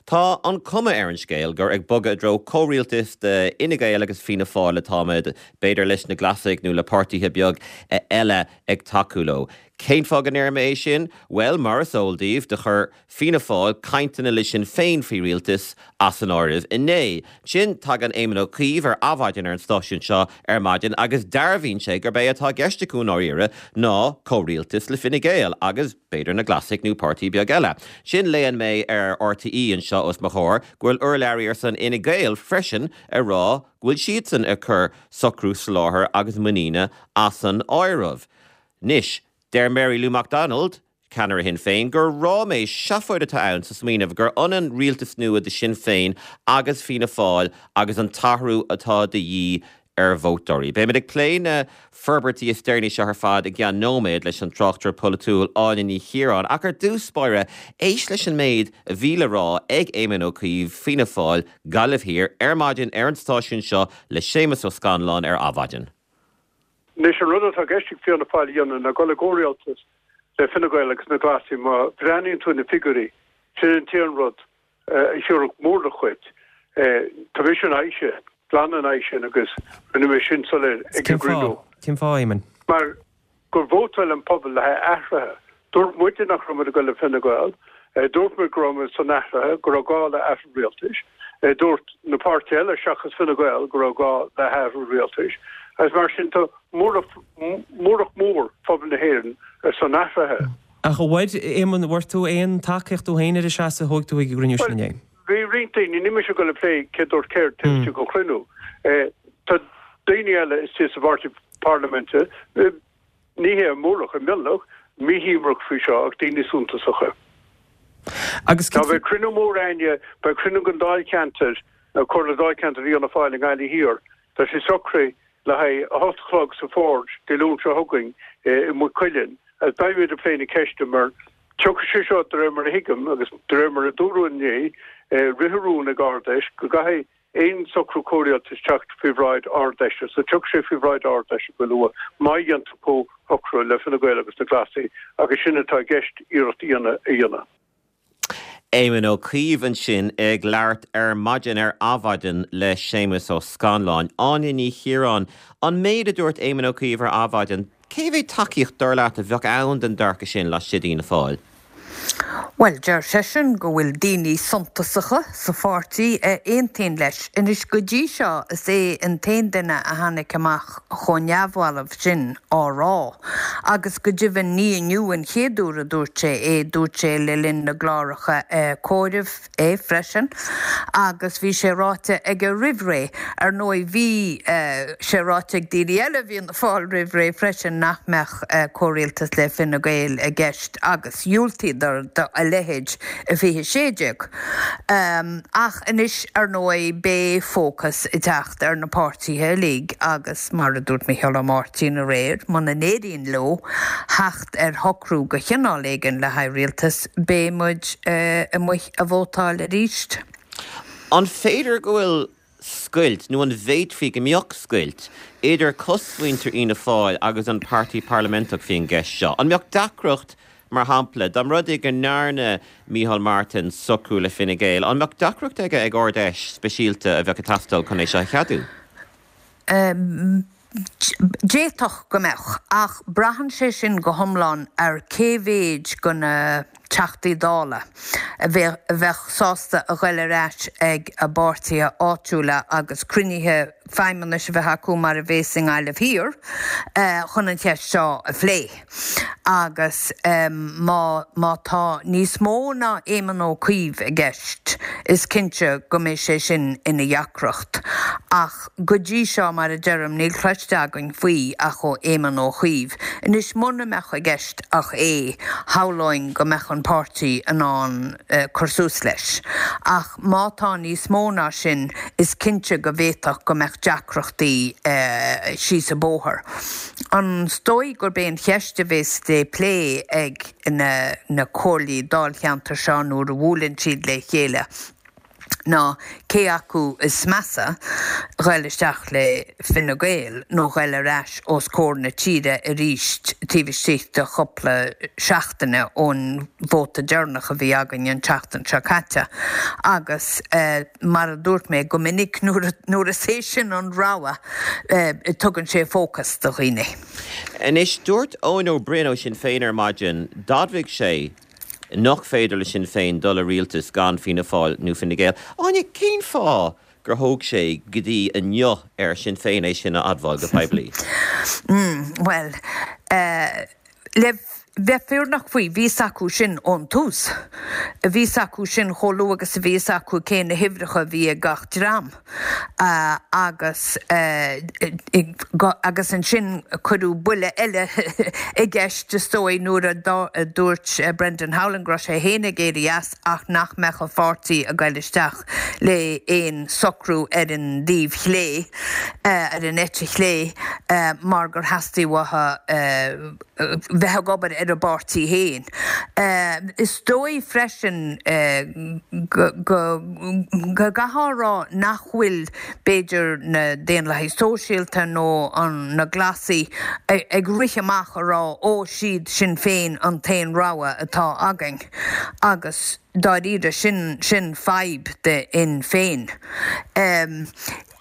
Tá an cuma ar an scéal gur ag bogadh i dtreo comhrialtas de Fhine Gael agus Fianna Fáil atáimid, b'fhéidir leis na Glasaigh nó le páirtithe beag eile ag tacú leo. Cén fáth go ndeir mé é sin? Bhuel, mar is eol daoibh, do chuir Fianna Fáil cainteanna le Sinn Féin faoi rialtas as an áireamh inné. Ansin, tagann Éamon Ó Cuív ar Adhmhaidin ar an stáisiún seo ar maidin agus dearbhaíonn sé gurb é atá i gceist acu i ndáiríre ná comhrialtas le Fine Gael agus, b'fhéidir, na Glasaigh nó páirtí beag eile. Ansin, léann mé ar RTÉ anseo os mo chomhair go bhfuil urlabhraí ar son Fhine Gael freisin ag rá go bhfuil siadsan ag cur socrú soláthair agus muiníne as an áireamh. Anois, deir Mary Lou McDonald, ceannaire Shinn Féin, gur ráiméis, seafóid atá ann sa smaoineamh gur ionann rialtas nua de Shinn Féin agus Fianna Fáil agus an t-athrú atá de dhíth ar vótóirí. Beimid ag plé na forbairtí is deireanaí seo ar fad i gceann nóiméad leis an tráchtaire polaitiúil Áine Ní Chiaráin ach ar dtús báire, éist leis an méid a bhí le rá ag Éamon Ó Cuív, Fianna Fáil, Gaillimh Thiar, ar maidin ar an stáisiún seo le Séamus Ó Scanláin ar Adhmhaidin. Anois, an rud atá i gceist ag Fianna Fáil a dhéanamh ná dul i gcomhrialtas le Fine Gael agus na Glasaigh. Má bhreathnaíonn tú ar na figiúirí, sin an t-aon rud a thiúrfadh móramh dhuit. Tá mise in aghaidh sin, glan in aghaidh sin agus rinne mé sin soiléir ag an gcruinniú. Cén fáth, Éamon? Mar gur vótáil an pobal le haghaidh athraithe. Dúirt muide nach raibh muid ag dul le Fine Gael. Dúirt muid go raibh muid ar son athraithe, go raibh gá le athrú rialtais. Dúirt na páirtithe eile seachas Fine Gael go raibh gá le hathrú rialtais. Agus mar sin tá móramh, móramh mór phobal na hÉireann ar son athraithe. Ach a bhfuair, Éamon, bhfuair tú aon tacaíocht tú féin ar an seasamh a thóg tú ag an gcruinniú sin inné? Bhí roinnt daoine, níl mise ag dul ag plé cé dúirt céard taobh istigh den chruinniú. Tá daoine eile istigh sa bpáirtí parlaiminte, ní hé an mórlach, an mionlach, míshuaimhneach faoi seo ach daoine suntasacha. Agus Tá, beidh cruinniú mór a'inne, beidh cruinniú den Dáilcheantar, Comhairle Dáilcheantar Fhianna Fáil i nGaillimh Thiar, tá sé socraithe le haghaidh a hocht a chlog sa Forge Dé Luain seo chugainn i Maigh Cuilinn agus beimid ag plé na ceiste mar tiocfaidh sé seo de réir mar a thuigim agus de réir mar a dúradh inné, ritheadh rún ag Ard-Fheis go gcaithfidh aon socrú comhrialtais teacht faoi bhráid Ard-Fheise. So tiocfaidh sé faoi bhráid Ard-Fheise go luath má dhéantar comhshocrú le Fine Gael agus na Glasaigh agus sin atá i gceist iarracht a dhéanamh. Éamon Ó Cuív ansin ag labhairt ar maidin ar Adhmhaidin le Séamus Ó Scanláin. Áine Ní Chiaráin, an méid a dúirt Éamon Ó Cuív ar Adhmhaidin, cé mhéad tacaíocht dar leat a bheadh ann don dearcadh sin laistigh d'Fhianna Fáil? Bhuel, deir seisean go bhfuil daoine suntasacha sa pháirtí a aontaíonn leis. Anois, go dtí seo, is é an t-aon duine a tháinig amach chomh neamhbhalbh sin á rá. Agus go deimhin, ní inniu an chéad uair a dúirt sé é, dúirt sé le linn na gcláracha comhairimh é freisin, agus bhí sé ráite aige roimh ré. Ar ndóigh, bhí sé ráite ag daoine eile i bhFianna Fáil roimh ré freisin nach mbeadh comhrialtas le Fine Gael i gceist agus dhiúltaíodar do a leithéid i 2016. Ach anois, ar ndóigh, beidh fócas ag teacht ar na páirtithe uilig agus, mar a dúirt Micheál Ó Máirtín aréir, muna n-éiríonn leo theacht ar shocrú de chineál éigin le haghaidh rialtas, beidh muid amuigh a vótáil arís. An féidir go bhfuil scoilt, nó an bhféadfaí go mbeadh scoilt, idir cosmhuintir Fhianna Fáil agus an Páirtí Parlaiminteach faoin gceist seo? An mbeadh deacracht, mar shampla, dá mba rud é go ndearna Micheál Martin socrú le Fine Gael, an mbeadh deacracht aige ag Ard-Fheis speisialta a bheadh ag teastáil chun é seo a cheadú? D'fhéadfadh go mbeadh, ach braitheann sé sin go hiomlán ar cé mhéid de na Teachtaí Dála a bheadh sásta a ghoil ar ais ag a bpáirtithe áitiúla agus cruinnithe feidhmeannais a bheith acu mar a bhéas i nGaillimh Thiar chun an cheist seo a phlé. Agus má má tá níos mó ná Éamon Ó Cuív i gceist, is cinnte go mbeidh sé sin ina dheacracht. Ach go dtí seo, mar a deirim, níl cloiste againn faoi ach ó Éamon Ó Cuív. Anois, muna mbeadh i gceist ach é, shamhlóinn go mbeadh an páirtí in ann cur suas leis. Ach má tá níos mó ná sin, is cinnte go bhféadfadh go mbeadh deacrachtaí síos an bóthar. Is dóigh gurb é an cheist a bhéas le plé ag na comhairlí dáilcheantair seo nuair a bhuaileann siad le chéile? ná cé acu is measa, ghoil isteach le Fine Gael nó ghoil ar ais os comhair na tíre arís taobh istigh de chúpla seachtaine ón vóta deireanach a bhí againn an tseachtain seo caite. Agus mar a dúirt mé go minic nuair is é sin an rogha tugann sé fócas do dhaoine. Anois, dúirt Eoin Ó Broin ó Sinn Féin ar maidin, d'admhaigh sé nach féidir le Sinn Féin dul i rialtas gan Fianna Fáil nó Fine Gael. Áine, cén fáth gur thóg sé go dtí inniu ar Shinn Féin é sin a admháil go poiblí? Bhuel, le bheith fírinneach faoi, bhí 'fhios acu sin ón tús. Bhí 'fhios acu sin chomh luath agus a bhí 'fhios acu cé na huimhreacha a bhí ag gach dream. Agus agus ansin cuireadh buille eile i gceist is dóigh nuair a dúirt Brendan Howlin go raibh sé féin ag éirí as ach nach mbeadh a pháirtí ag goil isteach le aon socrú ar an dtaobh chlé, ar an eite chlé, mar gur theastaigh uathu bheith ag obair ar a bpáirtí féin. Is dóigh freisin go gcaithfeá a rá nach bhfuil, b'fhéidir, na Daonlathaigh Sóisialta nó na Glasaigh ag rith amach a rá 'ó, siad Sinn Féin an t-aon rogha atá againn' agus dáiríre sin sin fadhb do Shinn Féin.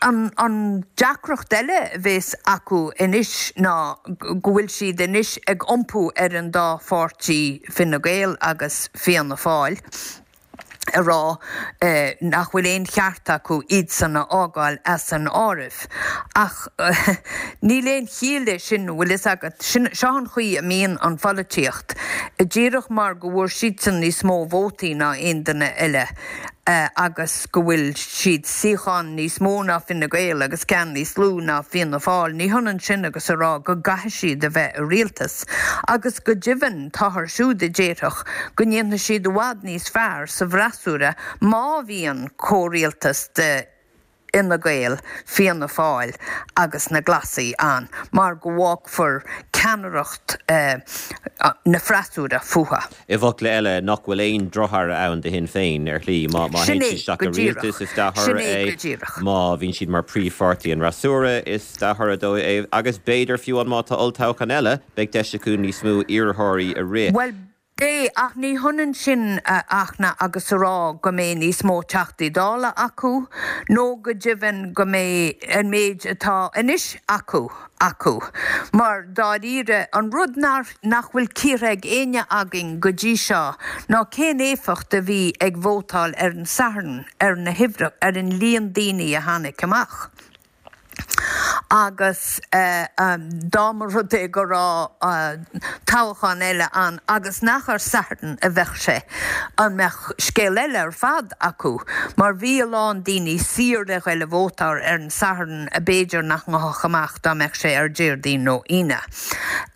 An deacracht eile a bhéas acu anois ná go bhfuil siad anois ag iompú ar an dá pháirtí, Fine Gael agus Fianna Fáil, a rá nach bhfuil aon cheart acu iadsan a fhágáil as an áireamh. Ach níl aon chiall leis sin, bhfuil fhios agat. Seo an chaoi a mbíonn an pholaitíocht. Díreach mar go bhfuair siadsan níos mó vótaí ná aon duine eile, agus go bhfuil siad suíochán níos mó ná Fine Gael agus ceann níos lú ná Fianna Fáil, ní hionann sin agus a rá go gcaithfidh siad a bheith i rialtas. Agus go deimhin, táthar siúd a déarfadh go ndéanfaidh siad i bhfad níos fearr sa bhfreasúra má bhíonn comhrialtas de Fhine Gael, Fianna Fáil agus na Glasaigh ann mar go bhfágfar ceannaireacht na freasúra fúthu. I bhfocla eile, nach bhfuil aon drochthoradh ann do Shinn Féin, ar shlí. Má théann siad isteach i rialtas, is dea-thoradh é. Má bhíonn siad mar phríomhpháirtí an fhreasúra, is dea-thoradh dóibh é. Agus b'fhéidir, fiú amháin má tá olltoghchán eile, beidh deis acu níos mó iarrthóirí a rith. Bhuel, Beidh, ach ní hionann sin a Fhachtna agus a rá go mbeidh níos mó Teachtaí Dála acu, nó go deimhin go mbeidh an méid atá anois acu, acu. Mar, dáiríre, an rud nach bhfuil cíortha ag éinne againn go dtí seo ná cén éifeacht a bhí ag vótáil ar an Satharn ar na huimhreacha, ar an líon daoine a tháinig amach. Agus dá mba rud é go raibh toghchán eile ann agus nach ar Satharn a bheadh sé, an mbeadh scéal eile ar fad acu? Mar bhí a lán daoine saor le ghoil a vótáil ar an Satharn a b'fhéidir nach ngabhfadh amach dá mbeadh sé ar Déardaoin nó Aoine.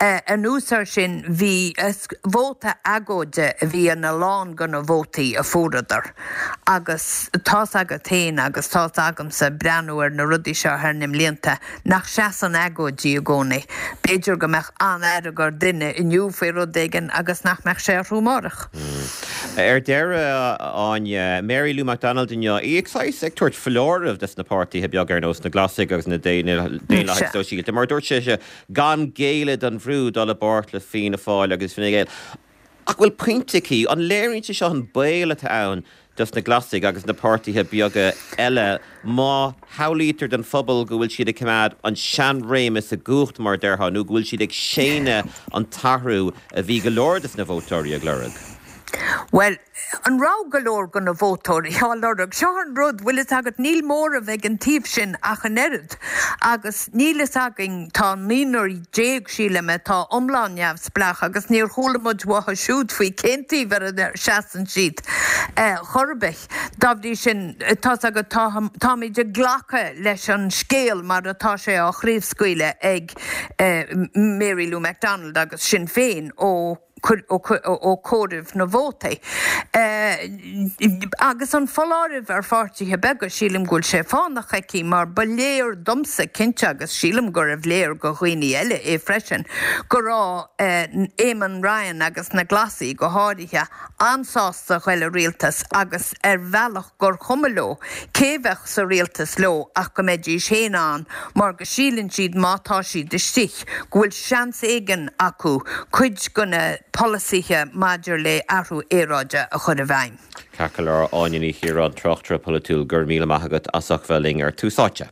Anuas air sin, bhí vóta agóide a bhí ina lán de na vótaí a fuaireadar. Agus tá's agat féin agus tá's agamsa, breathnú ar na rudaí seo thar na mblianta, nach seasann agóidí i gcónaí. B'fhéidir go mbeadh an-fhearg ar duine inniu faoi rud éigin agus nach mbeadh sé orthu amárach. Ar deireadh, a Áine, Mary Lou McDonald inniu, í ag saghas ag tabhairt foláireamh dos na páirtithe beaga ar nós na Glasaigh agus na Daonlathaigh Sóisialta, mar dúirt sise gan géilleadh don bhrú dul i bpáirt le Fianna Fáil agus Fine Gael. Ach bhfuil pointe aici? An léiríonn sé seo an baol atá ann dos na Glasaigh agus na páirtithe beaga eile má shamhlaítear don phobal go bhfuil siad ag coimeád an seanréimeas i gcumhacht, mar a déarfá, nó go bhfuil siad ag séanadh an t-athrú a bhí go leor dos na vótóirí ag lorg? Bhuel, An raibh go leor de na vótóirí á lorg? Seo an rud, bhfuil fhios agat, níl móramh ag an taobh sin ach an oiread. Agus níl fhios againn, tá naonúr déag, sílim, atá iomlán neamhspleách agus níor chuala muid uathu siúd faoi cén taobh ar a seasann siad chor ar bith. Dá bhrí sin, tá's agat, táimid ag glacadh leis an scéal mar atá sé á chraobhscaoileadh ag Mary Lou McDonald agus Sinn Féin ó. Ó comhaireamh na vótaí. Agus an foláireamh ar pháirtithe beaga, sílim go bhfuil sé fánach aici mar ba léir domsa cinnte, agus sílim gurbh léir go dhaoine eile é freisin, go raibh Eamon Ryan agus na Glasaigh go háirithe an-sásta ghoil i rialtas agus ar bhealach gur chuma leo cé bheadh sa rialtas leo ach go mbeidís féin ann mar go síleann siad má tá siad istigh go bhfuil seans éigin acu cuid de na polasaithe maidir le athrú aeráide a chur i bhfeidhm. Ceart go leor, Áine Ní Chiaráin, tráchtaire polaitiúil, go raibh míle maith agat as ucht bheith linn ar Tús Áite.